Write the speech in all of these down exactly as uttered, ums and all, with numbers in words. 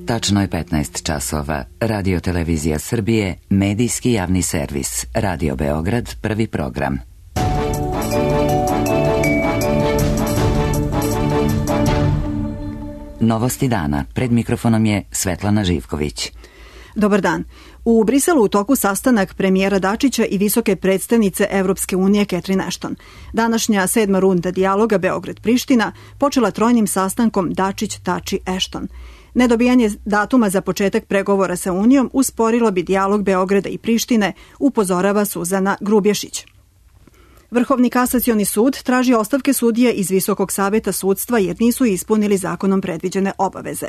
Tačno je petnaest časova. Radio Televizija Srbije, medijski javni servis. Radio Beograd, prvi program. Novosti dana. Pred mikrofonom je Svetlana Živković. Dobar dan. U Briselu u toku sastanak premijera Dačića i visoke predstavnice Evropske unije Catherine Ashton. Današnja sedma runda dijaloga Beograd-Priština počela trojnim sastankom Dačić-Tači-Ashton. Nedobijanje datuma za početak pregovora sa Unijom usporilo bi dijalog Beograda i Prištine, upozorava Suzana Grubješić. Vrhovni kasacioni sud traži ostavke sudije iz Visokog saveta sudstva jer nisu ispunili zakonom predviđene obaveze.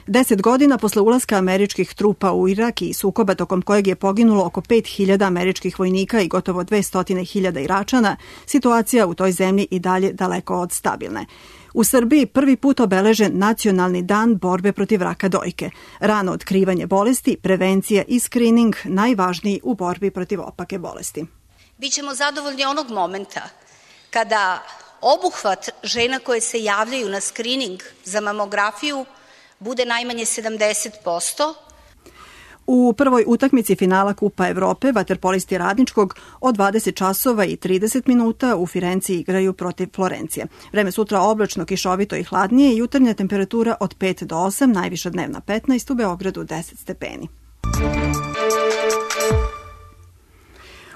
Deset godina posle ulaska američkih trupa u Irak i sukoba tokom kojeg je poginulo oko pet hiljada američkih vojnika i gotovo dvesta hiljada Iračana, situacija u toj zemlji i dalje daleko od stabilne. U Srbiji prvi put obeležen Nacionalni dan borbe protiv raka dojke. Rano otkrivanje bolesti, prevencija i skrining najvažniji u borbi protiv opake bolesti. Bićemo zadovoljni onog momenta kada obuhvat žena koje se javljaju na skrining za mamografiju bude najmanje sedamdeset posto. U prvoj utakmici finala Kupa Evrope vaterpolisti Radničkog od dvadeset časova i trideset minuta u Firenci igraju protiv Florencije. Vreme sutra oblačno, kišovito i hladnije, jutarnja temperatura od pet do osam, najviša dnevna petnaest, u Beogradu deset stepeni.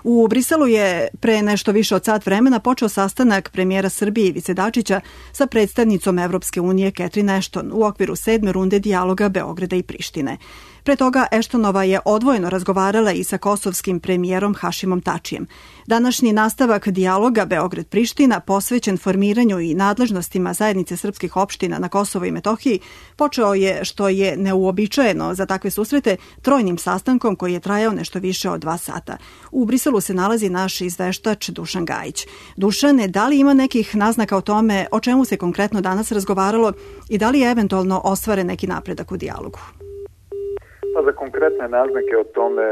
U Briselu je pre nešto više od sat vremena počeo sastanak premijera Srbije Ivice Dačića sa predstavnicom Evropske unije Catherine Ashton u okviru sedme runde dijaloga Beograda i Prištine. Pre toga Ashtonova je odvojeno razgovarala i sa kosovskim premijerom Hašimom Tačijem. Današnji nastavak dijaloga Beograd-Priština, posvećen formiranju i nadležnostima zajednice srpskih opština na Kosovo i Metohiji, počeo je, što je neuobičajeno za takve susrete, trojnim sastankom koji je trajao nešto više od dva sata. U Briselu se nalazi naš izveštač Dušan Gajić. Dušane, da li ima nekih naznaka o tome o čemu se konkretno danas razgovaralo i da li je eventualno ostvaren neki napredak u dijalogu? Pa za konkretne naznake o tome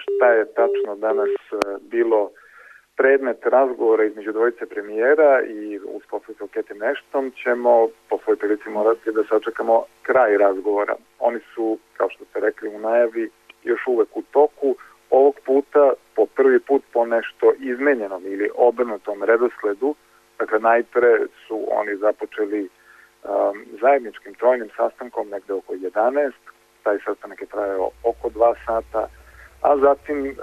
šta je tačno danas bilo predmet razgovora između dvojice premijera i uz posredstvo Catherine Ashton ćemo po svoj prilici morati da sačekamo kraj razgovora. Oni su, kao što ste rekli u najavi, još uvek u toku. Ovog puta, po prvi put, po nešto izmenjenom ili obrnutom redosledu. Dakle, najpre su oni započeli um, zajedničkim trojnim sastankom negde oko jedanaest. Taj sastanak je trajao oko dva sata, a zatim e,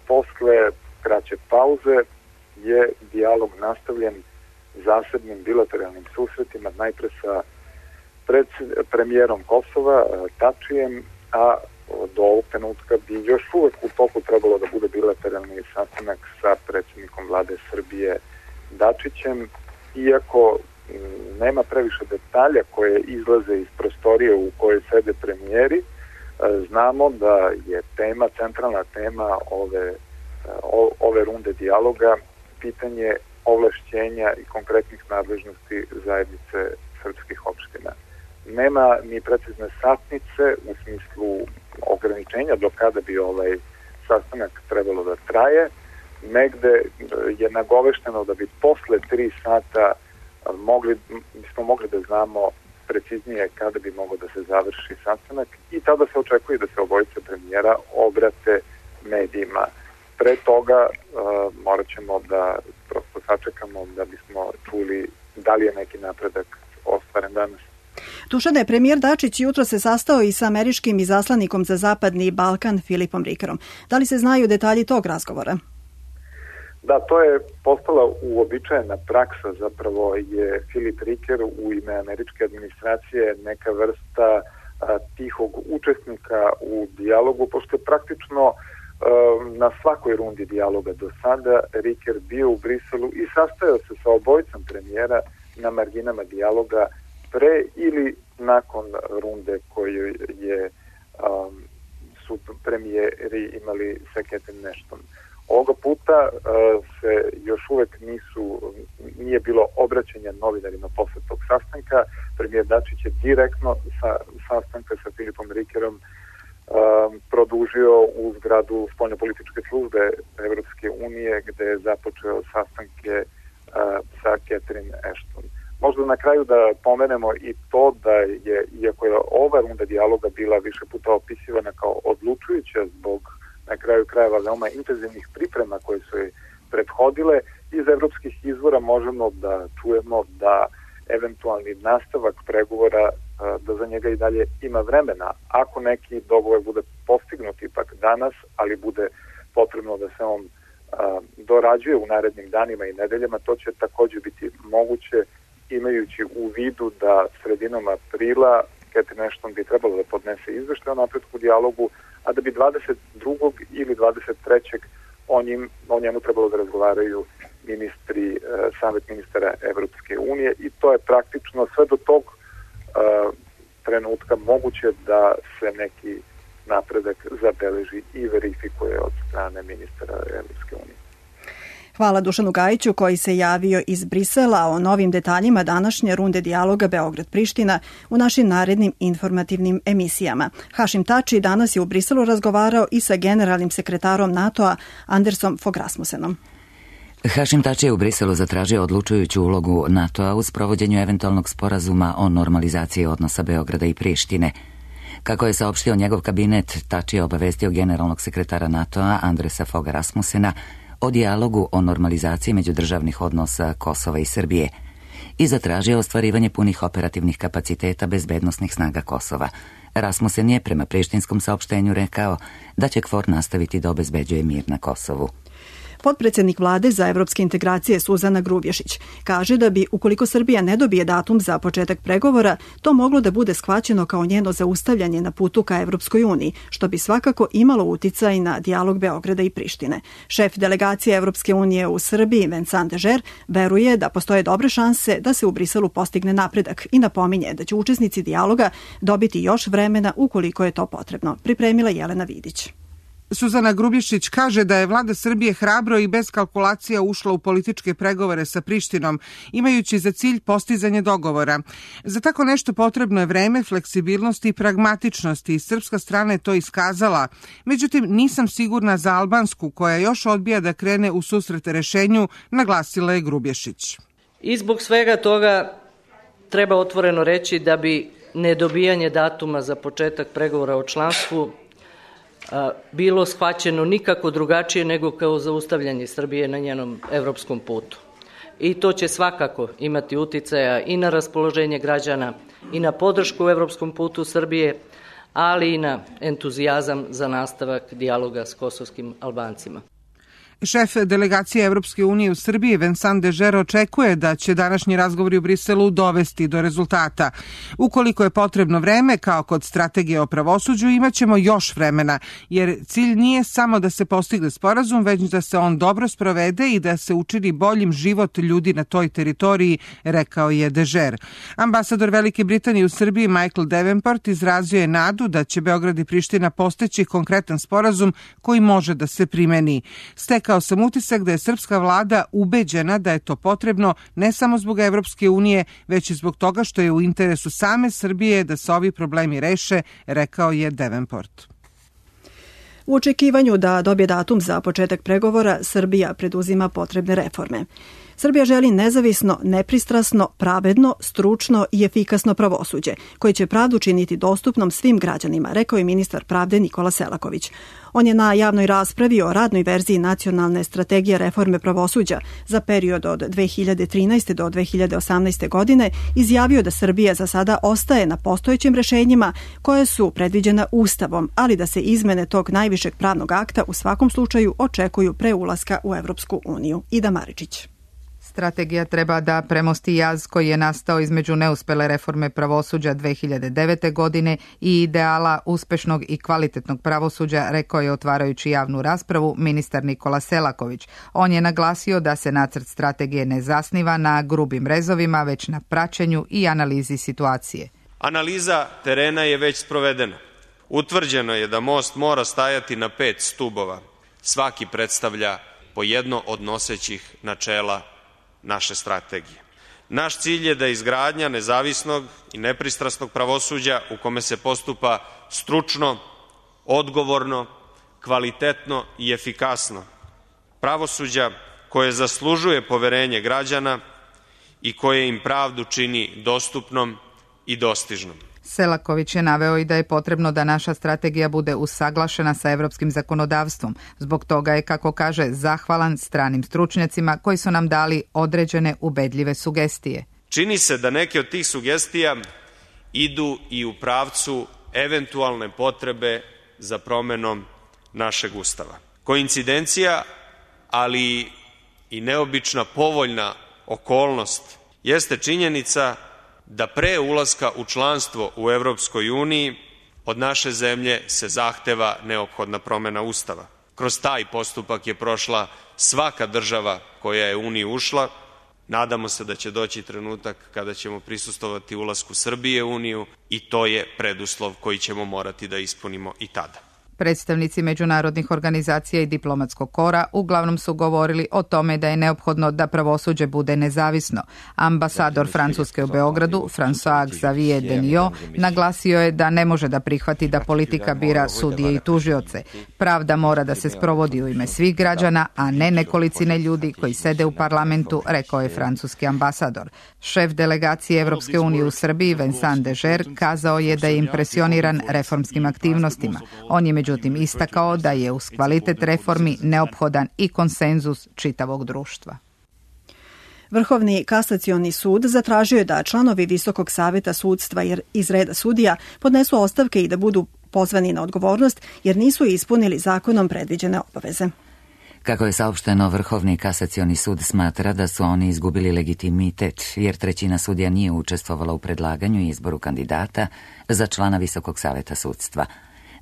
posle kraće pauze je dijalog nastavljen zasebnim bilateralnim susretima, najpre sa pred, premijerom Kosova, e, Tačijem, a do ovog trenutka bi još uvek u toku trebalo da bude bilateralni sastanak sa predsjednikom vlade Srbije Dačićem, iako m, nema previše detalja koje izlaze iz prostorije u kojoj sede premijeri. Znamo da je tema, centralna tema ove, ove runde dijaloga pitanje ovlašćenja i konkretnih nadležnosti zajednice srpskih opština. Nema ni precizne satnice u smislu ograničenja do kada bi ovaj sastanak trebalo da traje. Negde je nagovešteno da bi posle tri sata mogli, bismo mogli da znamo preciznije kada bi mogao da se završi sastanak i tada se očekuje da se obojice premijera obrate medijima. Pre toga uh, morat ćemo da prosto sačekamo da bismo čuli da li je neki napredak ostvaren danas. Dušane, premijer Dačić jutro se sastao i sa američkim izaslanikom za Zapadni Balkan Filipom Rikerom. Da li se znaju detalji tog razgovora? Da, to je postala uobičajena praksa, zapravo je Filip Riker u ime američke administracije neka vrsta a, tihog učesnika u dijalogu, pošto je praktično a, na svakoj rundi dijaloga do sada Riker bio u Briselu i sastajao se sa obojicom premijera na marginama dijaloga pre ili nakon runde koju je a, su premijeri imali sa Catherine Ashton. Ovoga puta uh, se još uvek nisu, nije bilo obraćanja novinarima posle tog sastanka. Premijer Dačić je direktno sa sastanka sa Filipom Rikerom uh, produžio u zgradu spoljnopolitičke službe Evropske unije gde je započeo sastanke uh, sa Catherine Ashton. Možda možda na kraju da pomenemo i to da je, iako je ova runda dijaloga bila više puta opisivana kao odlučujuća zbog na kraju krajeva veoma intenzivnih priprema koje su je prethodile, iz evropskih izvora možemo da čujemo da eventualni nastavak pregovora, da za njega i dalje ima vremena. Ako neki dogovor bude postignut ipak danas, ali bude potrebno da se on a, dorađuje u narednim danima i nedeljama, to će takođe biti moguće, imajući u vidu da sredinom aprila Catherine Ashton bi trebalo da podnese izveštaj o napretku dijalogu, a da bi dvadeset drugog ili dvadeset trećeg o, njim, o njemu trebalo da razgovaraju ministri, e, savet ministara Evropske unije, i to je praktično sve do tog e, trenutka moguće da se neki napredak zabeleži i verifikuje od strane ministara Evropske unije. Hvala Dušanu Gajiću koji se javio iz Brisela o novim detaljima današnje runde dijaloga Beograd-Priština u našim narednim informativnim emisijama. Hašim Tači danas je u Briselu razgovarao i sa generalnim sekretarom NATO-a Andersom Fogh Rasmussenom. Hašim Tači je u Briselu zatražio odlučujuću ulogu NATO-a u sprovođenju eventualnog sporazuma o normalizaciji odnosa Beograda i Prištine. Kako je saopštio njegov kabinet, Tači je obavestio generalnog sekretara NATO-a Andersa Fogha Rasmussena o dijalogu o normalizaciji međudržavnih odnosa Kosova i Srbije i zatražio ostvarivanje punih operativnih kapaciteta bezbednosnih snaga Kosova. Rasmussen je prema prištinskom saopštenju rekao da će KFOR nastaviti da obezbeđuje mir na Kosovu. Potpredsednik vlade za evropske integracije Suzana Grubješić kaže da bi, ukoliko Srbija ne dobije datum za početak pregovora, to moglo da bude shvaćeno kao njeno zaustavljanje na putu ka Evropskoj uniji, što bi svakako imalo uticaj na dijalog Beograda i Prištine. Šef delegacije Evropske unije u Srbiji, Vincent Dežer, veruje da postoje dobre šanse da se u Briselu postigne napredak i napominje da će učesnici dijaloga dobiti još vremena ukoliko je to potrebno. Pripremila Jelena Vidić. Suzana Grubješić kaže da je vlada Srbije hrabro i bez kalkulacija ušla u političke pregovore sa Prištinom, imajući za cilj postizanje dogovora. Za tako nešto potrebno je vreme, fleksibilnost i pragmatičnost i srpska strana je to iskazala. Međutim, nisam sigurna za albansku, koja još odbija da krene u susret rešenju, naglasila je Grubješić. I zbog svega toga treba otvoreno reći da bi nedobijanje datuma za početak pregovora o članstvu bilo shvaćeno nikako drugačije nego kao zaustavljanje Srbije na njenom evropskom putu. I to će svakako imati uticaja i na raspoloženje građana i na podršku u evropskom putu Srbije, ali i na entuzijazam za nastavak dijaloga s kosovskim Albancima. Šef delegacije Evropske unije u Srbiji, Vincent Dežer, očekuje da će današnji razgovori u Briselu dovesti do rezultata. Ukoliko je potrebno vreme, kao kod strategije o pravosuđu, imaćemo još vremena, jer cilj nije samo da se postigne sporazum, već da se on dobro sprovede i da se učini boljim život ljudi na toj teritoriji, rekao je Dežer. Ambasador Velike Britanije u Srbiji, Michael Davenport, izrazio je nadu da će Beograd i Priština postići konkretan sporazum koji može da se primeni. Stekao sam utisak da je srpska vlada ubeđena da je to potrebno ne samo zbog Evropske unije, već i zbog toga što je u interesu same Srbije da se ovi problemi reše, rekao je Davenport. U očekivanju da dobije datum za početak pregovora, Srbija preduzima potrebne reforme. Srbija želi nezavisno, nepristrasno, pravedno, stručno i efikasno pravosuđe, koje će pravdu činiti dostupnom svim građanima, rekao je ministar pravde Nikola Selaković. On je na javnoj raspravi o radnoj verziji nacionalne strategije reforme pravosuđa za period od dve hiljade trinaeste do dve hiljade osamnaeste. godine izjavio da Srbija za sada ostaje na postojećim rešenjima koje su predviđena Ustavom, ali da se izmene tog najvišeg pravnog akta u svakom slučaju očekuju pre ulaska u Evropsku uniju. Ida Maričić. Strategija treba da premosti jaz koji je nastao između neuspele reforme pravosuđa dve hiljade devete. godine i ideala uspešnog i kvalitetnog pravosuđa, rekao je otvarajući javnu raspravu ministar Nikola Selaković. On je naglasio da se nacrt strategije ne zasniva na grubim rezovima, već na praćenju i analizi situacije. Analiza terena je već sprovedena. Utvrđeno je da most mora stajati na pet stubova. Svaki predstavlja po jedno od nosećih načela naše strategije. Naš cilj je da izgradnja nezavisnog i nepristrasnog pravosuđa u kome se postupa stručno, odgovorno, kvalitetno i efikasno. Pravosuđa koje zaslužuje poverenje građana i koje im pravdu čini dostupnom i dostižnom. Selaković je naveo i da je potrebno da naša strategija bude usaglašena sa evropskim zakonodavstvom. Zbog toga je, kako kaže, zahvalan stranim stručnjacima koji su nam dali određene ubedljive sugestije. Čini se da neke od tih sugestija idu i u pravcu eventualne potrebe za promenom našeg Ustava. Koincidencija, ali i neobična povoljna okolnost jeste činjenica da pre ulaska u članstvo u Evropskoj uniji od naše zemlje se zahteva neophodna promena Ustava. Kroz taj postupak je prošla svaka država koja je u Uniju ušla. Nadamo se da će doći trenutak kada ćemo prisustvovati ulasku Srbije u Uniju i to je preduslov koji ćemo morati da ispunimo i tada. Predstavnici međunarodnih organizacija i diplomatskog kora uglavnom su govorili o tome da je neophodno da pravosuđe bude nezavisno. Ambasador Francuske u Beogradu, François Xavier Denio, naglasio je da ne može da prihvati da politika bira sudije i tužioce. Pravda mora da se sprovodi u ime svih građana, a ne nekolicine ljudi koji sede u parlamentu, rekao je francuski ambasador. Šef delegacije Evropske unije u Srbiji, Vincent Deger, kazao je da je impresioniran reformskim aktivnostima. On je međutim istakao da je uz kvalitet reformi neophodan i konsenzus čitavog društva. Vrhovni kasacioni sud zatražio je da članovi Visokog saveta sudstva iz reda sudija podnesu ostavke i da budu pozvani na odgovornost jer nisu ispunili zakonom predviđene obaveze. Kako je saopšteno, Vrhovni kasacioni sud smatra da su oni izgubili legitimitet jer trećina sudija nije učestvovala u predlaganju i izboru kandidata za člana Visokog saveta sudstva.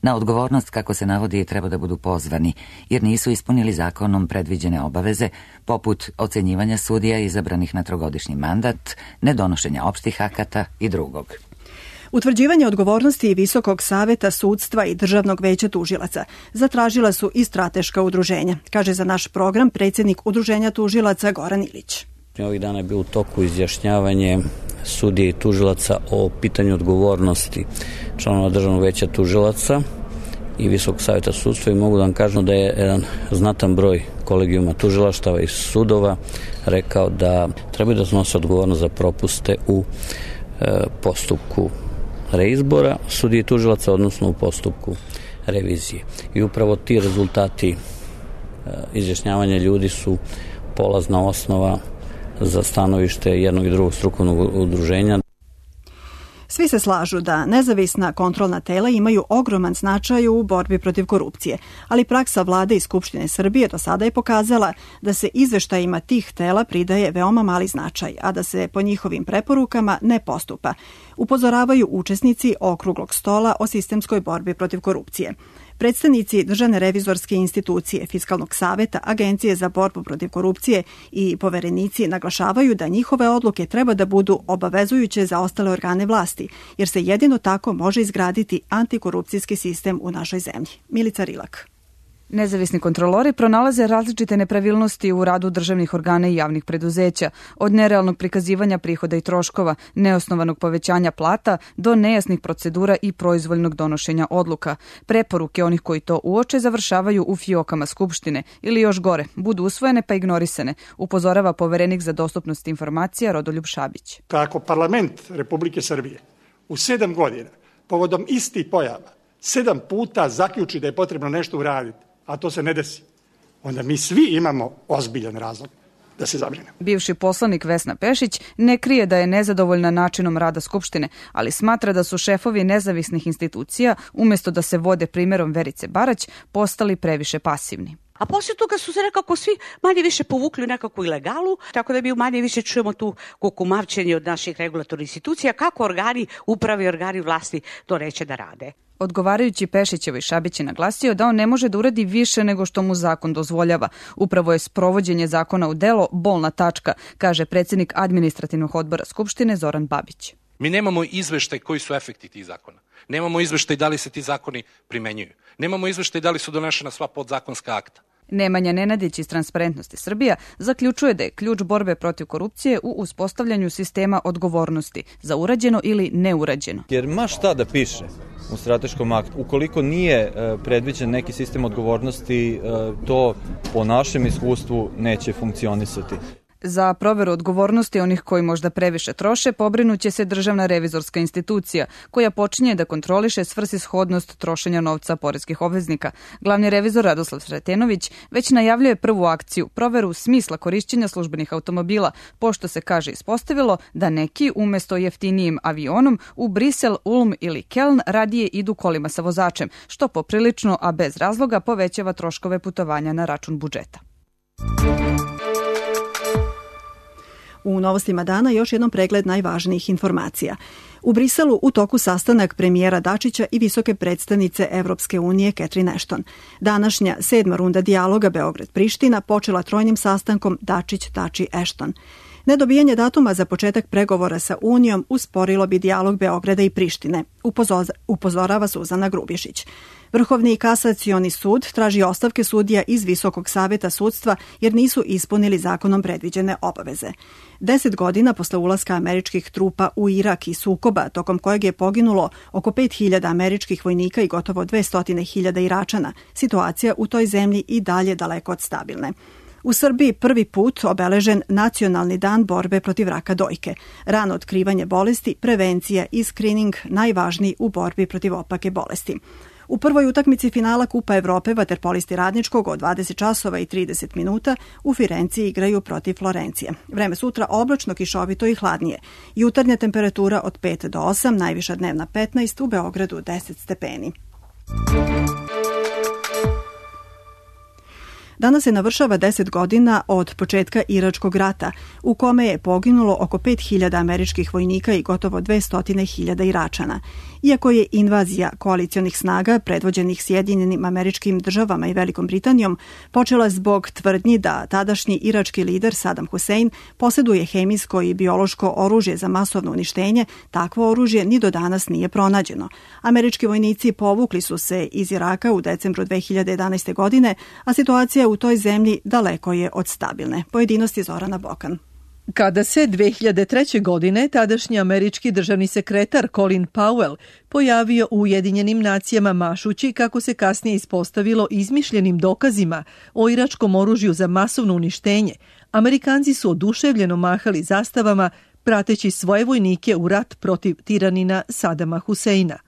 Na odgovornost, kako se navodi, treba da budu pozvani, jer nisu ispunili zakonom predviđene obaveze, poput ocenjivanja sudija izabranih na trogodišnji mandat, nedonošenja opštih akata i drugog. Utvrđivanje odgovornosti Visokog saveta sudstva i Državnog veća tužilaca zatražila su i strateška udruženja, kaže za naš program predsjednik Udruženja tužilaca Goran Ilić. Ovih dana je bilo u toku izjašnjavanje sudije i tužilaca o pitanju odgovornosti članova Državnog veća tužilaca i Visokog saveta sudstva i mogu da vam kažem da je jedan znatan broj kolegijuma tužilaštava i sudova rekao da trebaju da snose odgovornost za propuste u e, postupku reizbora sudije i tužilaca, odnosno u postupku revizije. I upravo ti rezultati e, izjašnjavanja ljudi su polazna osnova za stanovište jednog i drugog strukovnog udruženja. Svi se slažu da nezavisna kontrolna tela imaju ogroman značaj u borbi protiv korupcije, ali praksa vlade i Skupštine Srbije do sada je pokazala da se izveštajima tih tela pridaje veoma mali značaj, a da se po njihovim preporukama ne postupa. Upozoravaju učesnici okruglog stola o sistemskoj borbi protiv korupcije. Predstavnici Državne revizorske institucije, Fiskalnog saveta, Agencije za borbu protiv korupcije i poverenici naglašavaju da njihove odluke treba da budu obavezujuće za ostale organe vlasti, jer se jedino tako može izgraditi antikorupcijski sistem u našoj zemlji. Milica Rilak. Nezavisni kontrolori pronalaze različite nepravilnosti u radu državnih organa i javnih preduzeća, od nerealnog prikazivanja prihoda i troškova, neosnovanog povećanja plata do nejasnih procedura i proizvoljnog donošenja odluka. Preporuke onih koji to uoče završavaju u fiokama Skupštine ili još gore, budu usvojene pa ignorisane, upozorava poverenik za dostupnost informacija Rodoljub Šabić. Kako parlament Republike Srbije u sedam godina povodom istih pojava sedam puta zaključi da je potrebno nešto uraditi, a to se ne desi, onda mi svi imamo ozbiljan razlog da se zabrinemo. Bivši poslanik Vesna Pešić ne krije da je nezadovoljna načinom rada Skupštine, ali smatra da su šefovi nezavisnih institucija, umjesto da se vode primjerom Verice Barać, postali previše pasivni. A poslije toga su se nekako svi manje više povukli u nekakvu ilegalu, tako da mi manje više čujemo tu kukumavčenje od naših regulatornih institucija, kako organi uprave i organi vlasti to neće da rade. Odgovarajući Pešićevoj, Šabić je naglasio da on ne može da uradi više nego što mu zakon dozvoljava. Upravo je sprovođenje zakona u delo bolna tačka, kaže predsjednik administrativnog odbora Skupštine Zoran Babić. Mi nemamo izveštaj koji su efekti tih zakona. Nemamo izveštaj da li se ti zakoni primenjuju. Nemamo izveštaj da li su donešena sva podzakonska akta. Nemanja Nenadić iz Transparentnosti Srbija zaključuje da je ključ borbe protiv korupcije u uspostavljanju sistema odgovornosti za urađeno ili neurađeno. Jer ma šta da piše u strateškom aktu, ukoliko nije predviđen neki sistem odgovornosti, to po našem iskustvu neće funkcionisati. Za proveru odgovornosti onih koji možda previše troše pobrinuće se Državna revizorska institucija, koja počinje da kontroliše svrsishodnost trošenja novca poreskih obveznika. Glavni revizor Radoslav Sretenović već najavljuje prvu akciju, proveru smisla korišćenja službenih automobila, pošto se, kaže, ispostavilo da neki umesto jeftinijim avionom u Brisel, Ulm ili Keln radije idu kolima sa vozačem, što poprilično, a bez razloga, povećava troškove putovanja na račun budžeta. U novostima dana još jednom pregled najvažnijih informacija. U Briselu u toku sastanak premijera Dačića i visoke predstavnice Evropske unije Catherine Ashton. Današnja sedma runda dijaloga Beograd-Priština počela trojnim sastankom Dačić-Tači-Ashton. Nedobijanje datuma za početak pregovora sa Unijom usporilo bi dijalog Beograda i Prištine, upozorava Suzana Grubješić. Vrhovni kasacioni sud traži ostavke sudija iz Visokog saveta sudstva jer nisu ispunili zakonom predviđene obaveze. Deset godina posle ulaska američkih trupa u Irak i sukoba, tokom kojeg je poginulo oko pet hiljada američkih vojnika i gotovo dvesta hiljada Iračana, situacija u toj zemlji i dalje daleko od stabilne. U Srbiji prvi put obeležen Nacionalni dan borbe protiv raka dojke. Rano otkrivanje bolesti, prevencija i skrining najvažniji u borbi protiv opake bolesti. U prvoj utakmici finala Kupa Evrope vaterpolisti Radničkog od dvadeset časova i trideset minuta u Firenci igraju protiv Florencije. Vreme sutra oblačno, kišovito i hladnije. Jutarnja temperatura od pet do osam, najviša dnevna petnaest, u Beogradu deset stepeni. Danas se navršava deset godina od početka Iračkog rata, u kome je poginulo oko pet hiljada američkih vojnika i gotovo dvesta hiljada Iračana. Iako je invazija koalicionih snaga, predvođenih Sjedinjenim Američkim Državama i Velikom Britanijom, počela zbog tvrdnji da tadašnji irački lider Saddam Hussein posjeduje hemijsko i biološko oružje za masovno uništenje, takvo oružje ni do danas nije pronađeno. Američki vojnici povukli su se iz Iraka u decembru dve hiljade jedanaeste. godine, a situacija u toj zemlji daleko je od stabilne. Pojedinosti Zorana Bokan. Kada se dve hiljade treće. godine tadašnji američki državni sekretar Colin Powell pojavio u Ujedinjenim nacijama mašući, kako se kasnije ispostavilo, izmišljenim dokazima o iračkom oružju za masovno uništenje, Amerikanci su oduševljeno mahali zastavama prateći svoje vojnike u rat protiv tiranina Sadama Huseina.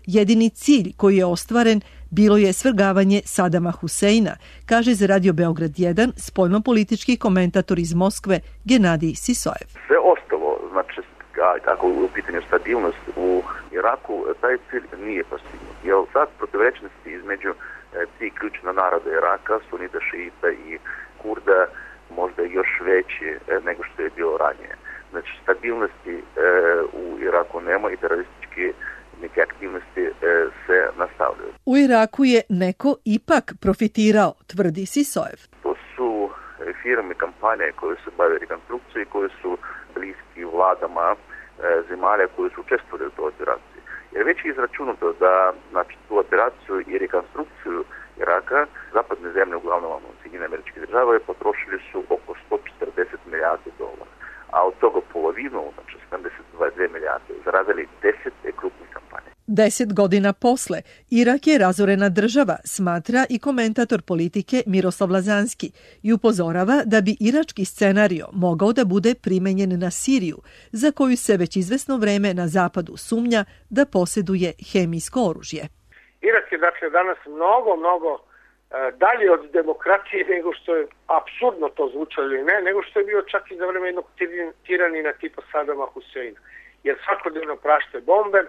Jedini cilj koji je ostvaren bilo je svrgavanje Sadama Huseina, kaže za Radio Beograd jedan spoljnopolitički komentator iz Moskve Genadij Sisojev. Sve ostalo, znači tako u pitanju stabilnost u Iraku, taj cilj nije postignut. Jer sad protivrečnosti između tri ključna naroda Iraka, sunita, šiita i kurda, možda još veći nego što je bilo ranije. Znači stabilnosti e, u Iraku nema i teroristički neke aktivnosti e, se nastavljaju. U Iraku je neko ipak profitirao, tvrdi Sisojev. To su firme, kampanje koje se bave rekonstrukcijom i koje su bliski vladama e, zemalja koje su učestvovali u toj operaciji. Jer već je izračunato da znači, tu operaciju i rekonstrukciju Iraka, zapadne zemlje, uglavnom Sjedinjene Američke Države, potrošili su oko sto četrdeset milijardi dolara. A od toga polovinu, znači sedamdeset dve milijarde, zaradili deset krupnih kampanja. Deset godina posle, Irak je razorena država, smatra i komentator politike Miroslav Lazanski i upozorava da bi irački scenario mogao da bude primenjen na Siriju, za koju se već izvesno vreme na zapadu sumnja da posjeduje hemijsko oružje. Irak je dakle danas mnogo, mnogo dalje od demokratije nego što je apsurdno to zvučalo ili ne, nego što je bio čak i za vreme jednog tiranina tipa Sadama Huseina. Jer svakodnevno prašte bombe,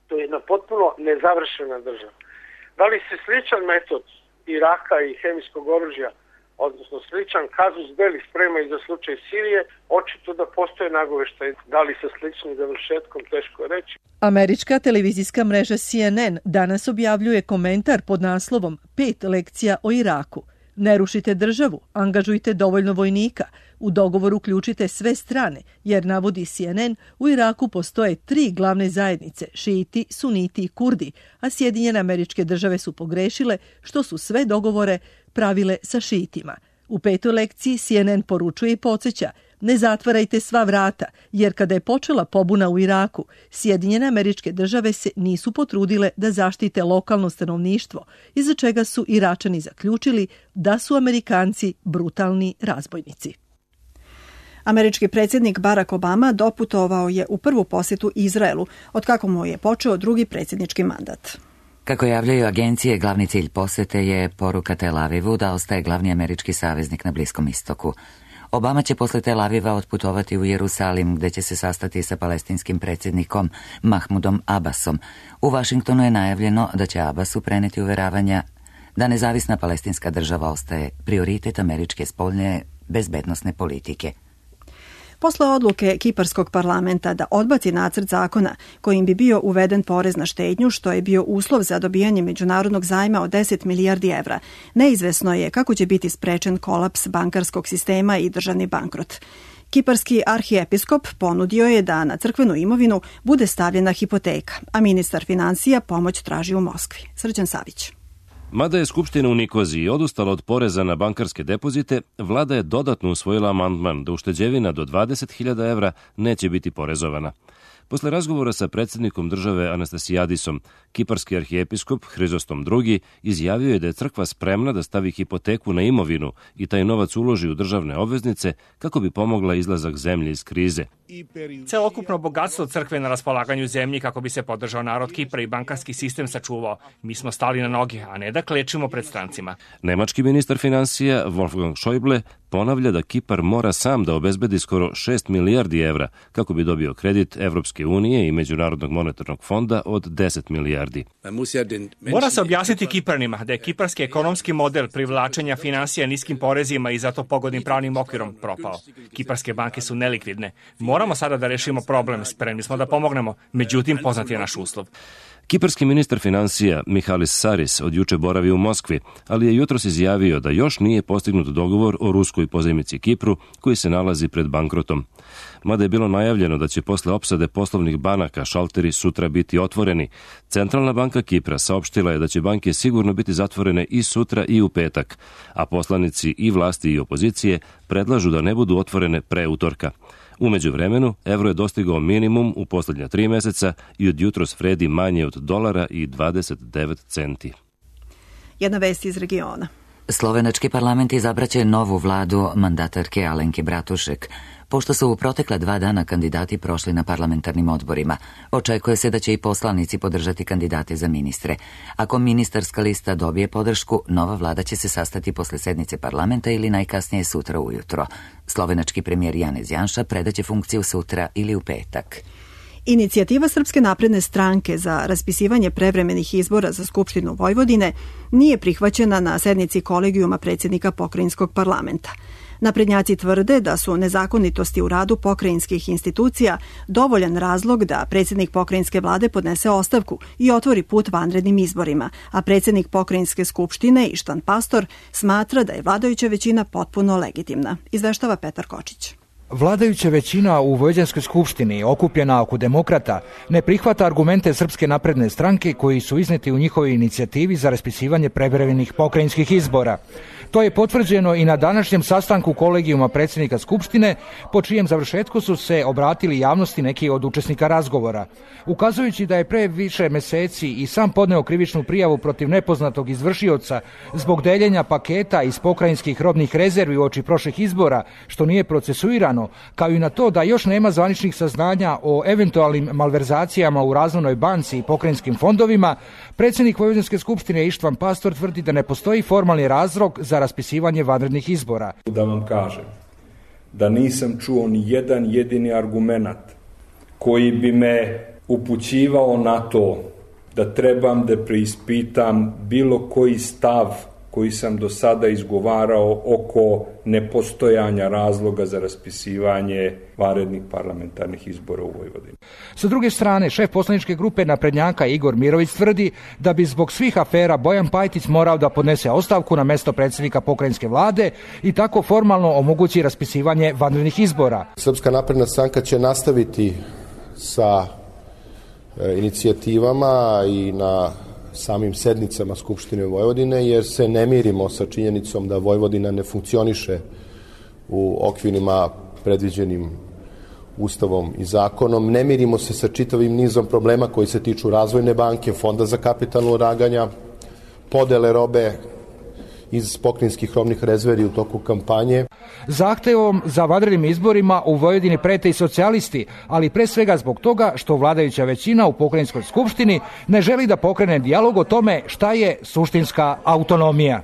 to je jedna potpuno nezavršena država. Da li se sličan metod Iraka i hemijskog oružja, odnosno sličan kazus belli sprema i za slučaj Sirije, očito da postoje nagoveštaj. Da li sa sličnim završetkom, teško je reći. Američka televizijska mreža C N N danas objavljuje komentar pod naslovom Pet lekcija o Iraku. Ne rušite državu, angažujte dovoljno vojnika, u dogovor uključite sve strane, jer, navodi C N N, u Iraku postoje tri glavne zajednice, šiiti, suniti i kurdi, a Sjedinjene Američke Države su pogrešile što su sve dogovore pravile sa šiitima. U petoj lekciji C N N poručuje i podsjeća: ne zatvarajte sva vrata, jer kada je počela pobuna u Iraku, Sjedinjene Američke Države se nisu potrudile da zaštite lokalno stanovništvo, iza čega su Iračani zaključili da su Amerikanci brutalni razbojnici. Američki predsjednik Barack Obama doputovao je u prvu posjetu Izraelu, otkako mu je počeo drugi predsjednički mandat. Kako javljaju agencije, glavni cilj posete je poruka Tel Avivu da ostaje glavni američki saveznik na Bliskom istoku. Obama će posle Tel Aviva otputovati u Jerusalim, gde će se sastati sa palestinskim predsjednikom Mahmudom Abbasom. U Vašingtonu je najavljeno da će Abbasu preneti uveravanja da nezavisna palestinska država ostaje prioritet američke spoljne bezbednosne politike. Posle odluke Kiparskog parlamenta da odbaci nacrt zakona kojim bi bio uveden porez na štednju, što je bio uslov za dobijanje međunarodnog zajma od deset milijardi evra, neizvesno je kako će biti sprečen kolaps bankarskog sistema i državni bankrot. Kiparski arhiepiskop ponudio je da na crkvenu imovinu bude stavljena hipoteka, a ministar financija pomoć traži u Moskvi. Srđan Savić. Mada je Skupština u Nikoziji odustala od poreza na bankarske depozite, vlada je dodatno usvojila amandman da ušteđevina do dvadeset hiljada evra neće biti porezovana. Posle razgovora sa predsjednikom države Anastasijadisom, kiparski arhijepiskop Hrizostom drugi izjavio je da je crkva spremna da stavi hipoteku na imovinu i taj novac uloži u državne obveznice kako bi pomogla izlazak zemlje iz krize. Celokupno bogatstvo crkve na raspolaganju zemlji kako bi se podržao narod Kipra i bankarski sistem sačuvao. Mi smo stali na noge, a ne da klečimo pred strancima. Nemački ministar financija Wolfgang Schäuble ponavlja da Kipar mora sam da obezbedi skoro šest milijardi evra kako bi dobio kredit Evropske unije i Međunarodnog monetarnog fonda od deset milijardi. Mora se objasniti Kipranima da je kiparski ekonomski model privlačenja finansija niskim porezima i zato pogodnim pravnim okvirom propao. Kiparske banke su nelikvidne. Moramo sada da rešimo problem, spremni smo da pomognemo, međutim poznat je naš uslov. Kiparski ministar financija Mihalis Saris od juče boravi u Moskvi, ali je jutros izjavio da još nije postignut dogovor o ruskoj pozajmici Kipru koji se nalazi pred bankrotom. Mada je bilo najavljeno da će posle opsade poslovnih banaka šalteri sutra biti otvoreni, Centralna banka Kipra saopštila je da će banke sigurno biti zatvorene i sutra i u petak, a poslanici i vlasti i opozicije predlažu da ne budu otvorene pre utorka. U međuvremenu, evro je dostigao minimum u posljednja tri meseca i od jutros vredi manje od dolara i dvadeset devet centi. Jedna vest iz regiona. Slovenački parlament izabraće novu vladu mandatarke Alenke Bratušek. Pošto su u protekla dva dana kandidati prošli na parlamentarnim odborima, očekuje se da će i poslanici podržati kandidate za ministre. Ako ministarska lista dobije podršku, nova vlada će se sastati posle sednice parlamenta ili najkasnije sutra ujutro. Slovenački premijer Janez Janša predaće funkciju sutra ili u petak. Inicijativa Srpske napredne stranke za raspisivanje prevremenih izbora za Skupštinu Vojvodine nije prihvaćena na sednici kolegijuma predsjednika pokrajinskog parlamenta. Naprednjaci tvrde da su nezakonitosti u radu pokrajinskih institucija dovoljan razlog da predsjednik pokrajinske vlade podnese ostavku i otvori put vanrednim izborima, a predsjednik pokrajinske skupštine Ištan Pastor smatra da je vladajuća većina potpuno legitimna. Izveštava Petar Kočić. Vladajuća većina u Vojvođanskoj skupštini, okupljena oko demokrata, ne prihvata argumente Srpske napredne stranke koji su izneti u njihovoj inicijativi za raspisivanje prevremenih pokrajinskih izbora. To je potvrđeno i na današnjem sastanku kolegijuma predsjednika Skupštine, po čijem završetku su se obratili javnosti neki od učesnika razgovora. Ukazujući da je pre više meseci i sam podneo krivičnu prijavu protiv nepoznatog izvršioca zbog deljenja paketa iz pokrajinskih robnih rezervi uoči prošlih izbora, što nije procesuirano, kao i na to da još nema zvaničnih saznanja o eventualnim malverzacijama u Razvojnoj banci i pokrajinskim fondovima, predsjednik Vojvođanske skupštine Ištvan Pastor tvrdi da ne postoji formalni razlog za raspisivanje vanrednih izbora. Da vam kažem da nisam čuo ni jedan jedini argument koji bi me upućivao na to da trebam da preispitam bilo koji stav koji sam do sada izgovarao oko nepostojanja razloga za raspisivanje vanrednih parlamentarnih izbora u Vojvodini. Sa druge strane, šef poslaničke grupe naprednjaka Igor Mirović tvrdi da bi zbog svih afera Bojan Pajtić morao da podnese ostavku na mesto predsjednika pokrajinske vlade i tako formalno omogući raspisivanje vanrednih izbora. Srpska napredna stranka će nastaviti sa e, inicijativama i na samim sednicama Skupštine Vojvodine, jer se ne mirimo sa činjenicom da Vojvodina ne funkcioniše u okvirima predviđenim Ustavom i zakonom. Ne mirimo se sa čitavim nizom problema koji se tiču Razvojne banke, Fonda za kapitalno ulaganja, podele robe iz pokrajinskih robnih rezervi u toku kampanje. Zahtevom za vanrednim izborima u Vojvodini prete i socijalisti, ali pre svega zbog toga što vladajuća većina u pokrajinskoj skupštini ne želi da pokrene dijalog o tome šta je suštinska autonomija.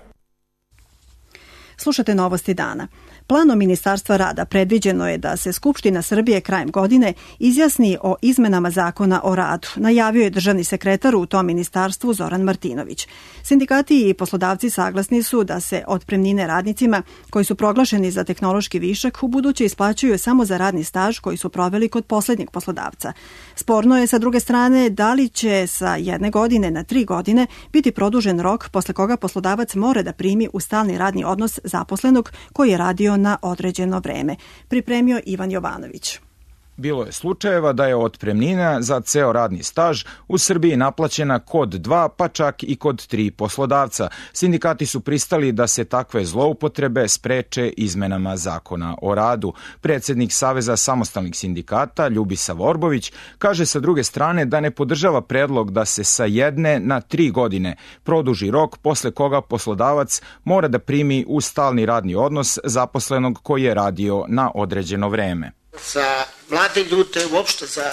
Slušate novosti dana. Planom Ministarstva rada predviđeno je da se Skupština Srbije krajem godine izjasni o izmenama zakona o radu, najavio je državni sekretar u tom ministarstvu Zoran Martinović. Sindikati i poslodavci saglasni su da se otpremnine radnicima koji su proglašeni za tehnološki višak u buduće isplaćuju samo za radni staž koji su proveli kod poslednjeg poslodavca. Sporno je sa druge strane da li će sa jedne godine na tri godine biti produžen rok posle koga poslodavac mora da primi u stalni radni odnos zaposlenog koji je radio na određeno vreme. Pripremio Ivan Jovanović. Bilo je slučajeva da je otpremnina za ceo radni staž u Srbiji naplaćena kod dva, pa čak i kod tri poslodavca. Sindikati su pristali da se takve zloupotrebe spreče izmenama zakona o radu. Predsednik Saveza samostalnih sindikata Ljubisa Vorbović kaže sa druge strane da ne podržava predlog da se sa jedne na tri godine produži rok posle koga poslodavac mora da primi u stalni radni odnos zaposlenog koji je radio na određeno vreme. Za mlade ljude, uopšte za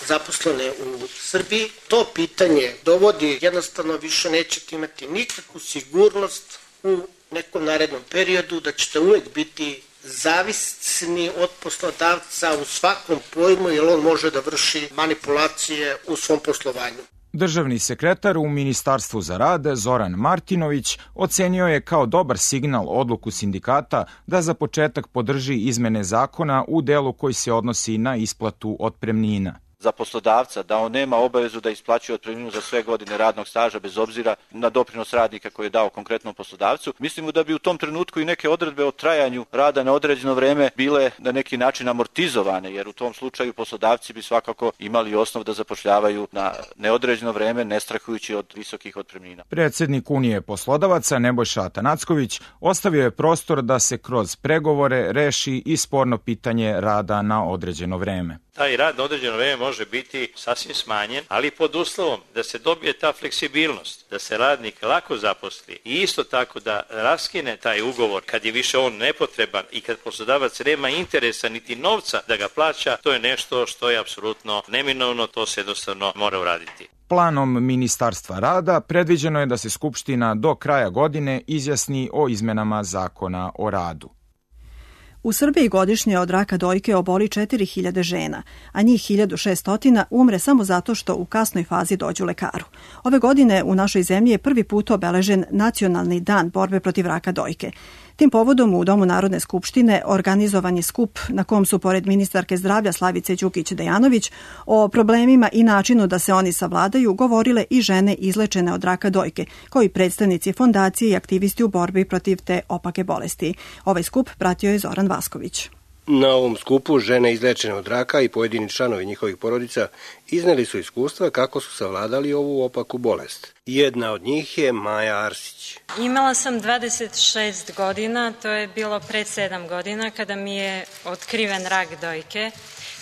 zaposlene u Srbiji, to pitanje dovodi, jednostavno više nećete imati nikakvu sigurnost u nekom narednom periodu, da ćete uvek biti zavisni od poslodavca u svakom pojmu, jer on može da vrši manipulacije u svom poslovanju. Državni sekretar u Ministarstvu za rad Zoran Martinović ocenio je kao dobar signal odluku sindikata da za početak podrži izmene zakona u delu koji se odnosi na isplatu otpremnina. Za poslodavca da on nema obavezu da isplaćuje otpremninu za sve godine radnog staža bez obzira na doprinos radnika koji je dao konkretnom poslodavcu. Mislimo da bi u tom trenutku i neke odredbe o trajanju rada na određeno vreme bile na neki način amortizovane, jer u tom slučaju poslodavci bi svakako imali osnov da zapošljavaju na neodređeno vreme, ne strahujući od visokih otpremnina. Predsednik Unije poslodavaca Nebojša Atanacković ostavio je prostor da se kroz pregovore reši i sporno pitanje rada na određeno vreme. Taj rad na određeno vreme može biti sasvim smanjen, ali pod uslovom da se dobije ta fleksibilnost, da se radnik lako zaposli i isto tako da raskine taj ugovor kad je više on nepotreban i kad poslodavac nema interesa niti novca da ga plaća, to je nešto što je apsolutno neminovno, to se jednostavno mora uraditi. Planom Ministarstva rada predviđeno je da se Skupština do kraja godine izjasni o izmenama zakona o radu. U Srbiji godišnje od raka dojke oboli četiri hiljade žena, a njih hiljadu šesto umre samo zato što u kasnoj fazi dođu lekaru. Ove godine u našoj zemlji je prvi put obeležen Nacionalni dan borbe protiv raka dojke. Tim povodom u Domu Narodne skupštine organizovan je skup na kom su pored ministarke zdravlja Slavice Đukić Dejanović o problemima i načinu da se oni savladaju govorile i žene izlečene od raka dojke, kao i predstavnici fondacije i aktivisti u borbi protiv te opake bolesti. Ovaj skup pratio je Zoran Vasković. Na ovom skupu žene izlečene od raka i pojedini članovi njihovih porodica izneli su iskustva kako su savladali ovu opaku bolest. Jedna od njih je Maja Arsić. Imala sam dvadeset šest godina, to je bilo pred sedam godina kada mi je otkriven rak dojke.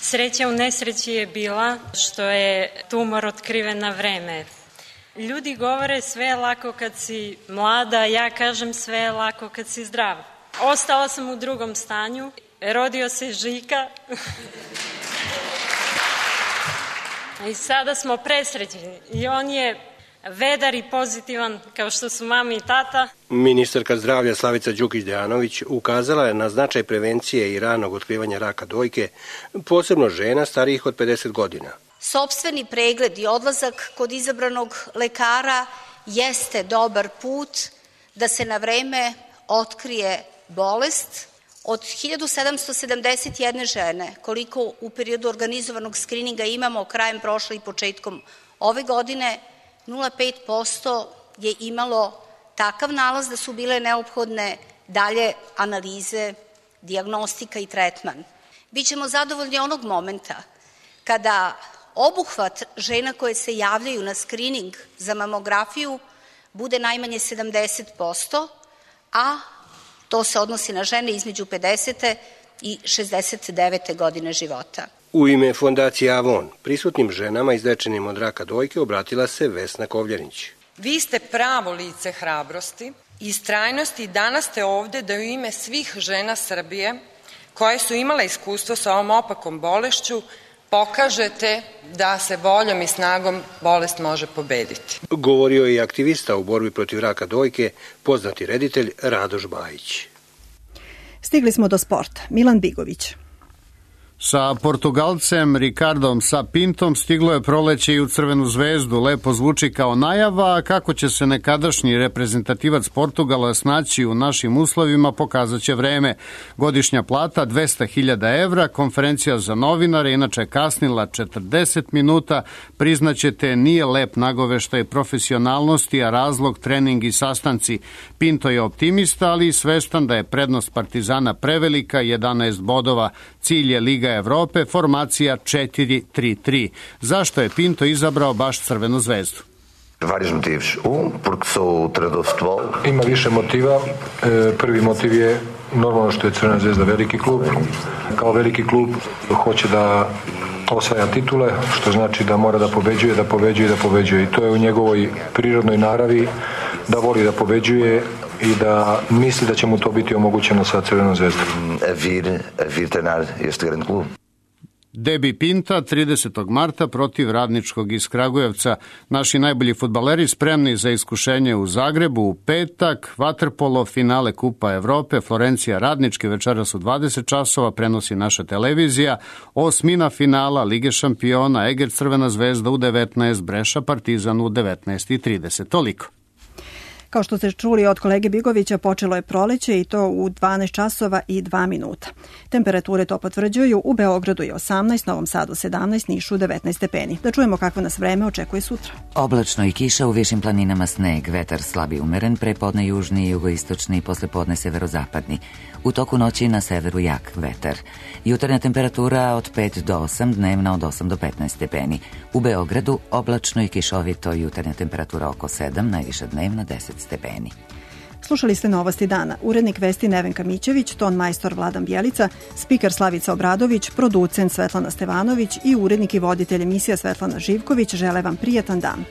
Sreća u nesreći je bila što je tumor otkriven na vreme. Ljudi govore sve je lako kad si mlada, ja kažem sve je lako kad si zdrav. Ostala sam u drugom stanju. Rodio se Žika i sada smo presrećeni i on je vedar i pozitivan kao što su mami i tata. Ministarka zdravlja Slavica Đukić Dejanović ukazala je na značaj prevencije i ranog otkrivanja raka dojke, posebno žena starijih od pedeset godina. Sopstveni pregled i odlazak kod izabranog lekara jeste dobar put da se na vreme otkrije bolest. Od hiljadu sedamsto sedamdeset jedne žene, koliko u periodu organizovanog skrininga imamo krajem prošle i početkom ove godine, nula zarez pet posto je imalo takav nalaz da su bile neophodne dalje analize, dijagnostika i tretman. Bićemo zadovoljni onog momenta kada obuhvat žena koje se javljaju na skrining za mamografiju bude najmanje sedamdeset posto, a to se odnosi na žene između pedesete i šezdeset devete godine života. U ime fondacije Avon, prisutnim ženama izlečenim od raka dojke obratila se Vesna Kovljanić. Vi ste pravo lice hrabrosti istrajnosti. Danas ste ovde da u ime svih žena Srbije koje su imale iskustvo sa ovom opakom bolešću pokažete da se voljom i snagom bolest može pobediti. Govorio je i aktivista u borbi protiv raka dojke, poznati reditelj Radoš Bajić. Stigli smo do sporta. Milan Bigović. Sa Portugalcem Ricardom Sapintom stiglo je proleće i u Crvenu zvezdu. Lepo zvuči kao najava, a kako će se nekadašnji reprezentativac Portugala snaći u našim uslovima pokazat će vreme. Godišnja plata dvesta hiljada evra, konferencija za novinare inače kasnila četrdeset minuta, priznaćete nije lep nagoveštaj profesionalnosti, a razlog trening i sastanci. Pinto je optimista, ali i svestan da je prednost Partizana prevelika, jedanaest bodova. Cilj je Liga Evrope, formacija četiri tri tri. Zašto je Pinto izabrao baš Crvenu zvezdu? Vários motivos. Um, porque sou treinador de futebol. Ima više motiva. Prvi motiv je normalno što je Crvena zvezda veliki klub. Kao veliki klub hoće da osvaja titule, što znači da mora da pobeđuje, da pobeđuje i da pobeđuje. I to je u njegovoj prirodnoj naravi da voli da pobeđuje i da misli da će mu to biti omogućeno sa Crvenom zvezdom. A vir, a vir treinar este grande klub. Debi Pinta tridesetog marta protiv Radničkog iz Kragujevca. Naši najbolji fudbaleri spremni za iskušenje u Zagrebu u petak. Vaterpolo, finale Kupa Evrope, Florencija Radnički večeras u dvadeset časova prenosi naša televizija. Osmina finala Lige šampiona, Eger Crvena zvezda u devetnaest, Breša Partizan u devetnaest i trideset. Toliko. Kao što ste čuli od kolege Bigovića, počelo je proleće i to u dvanaest časova i dva minuta. Temperature to potvrđuju, u Beogradu je osamnaest, Novom Sadu sedamnaest, Nišu devetnaest stepeni. Da čujemo kakvo nas vreme očekuje sutra. Oblačno i kiša, u višim planinama sneg, vetar slabi umeren, prepodne južni i jugoistočni, poslepodne severozapadni. U toku noći na severu jak vetar. Jutarnja temperatura od pet do osam, dnevna od osam do petnaest stepeni. U Beogradu oblačno i kišovito, jutarnja temperatura oko sedam, najviša dnevna deset stepeni. Slušali ste Novosti dana. Urednik vesti Nevenka Mićević, ton majstor Vladan Bjelica, spiker Slavica Obradović, producent Svetlana Stevanović i urednik i voditelj emisija Svetlana Živković žele vam prijatan dan.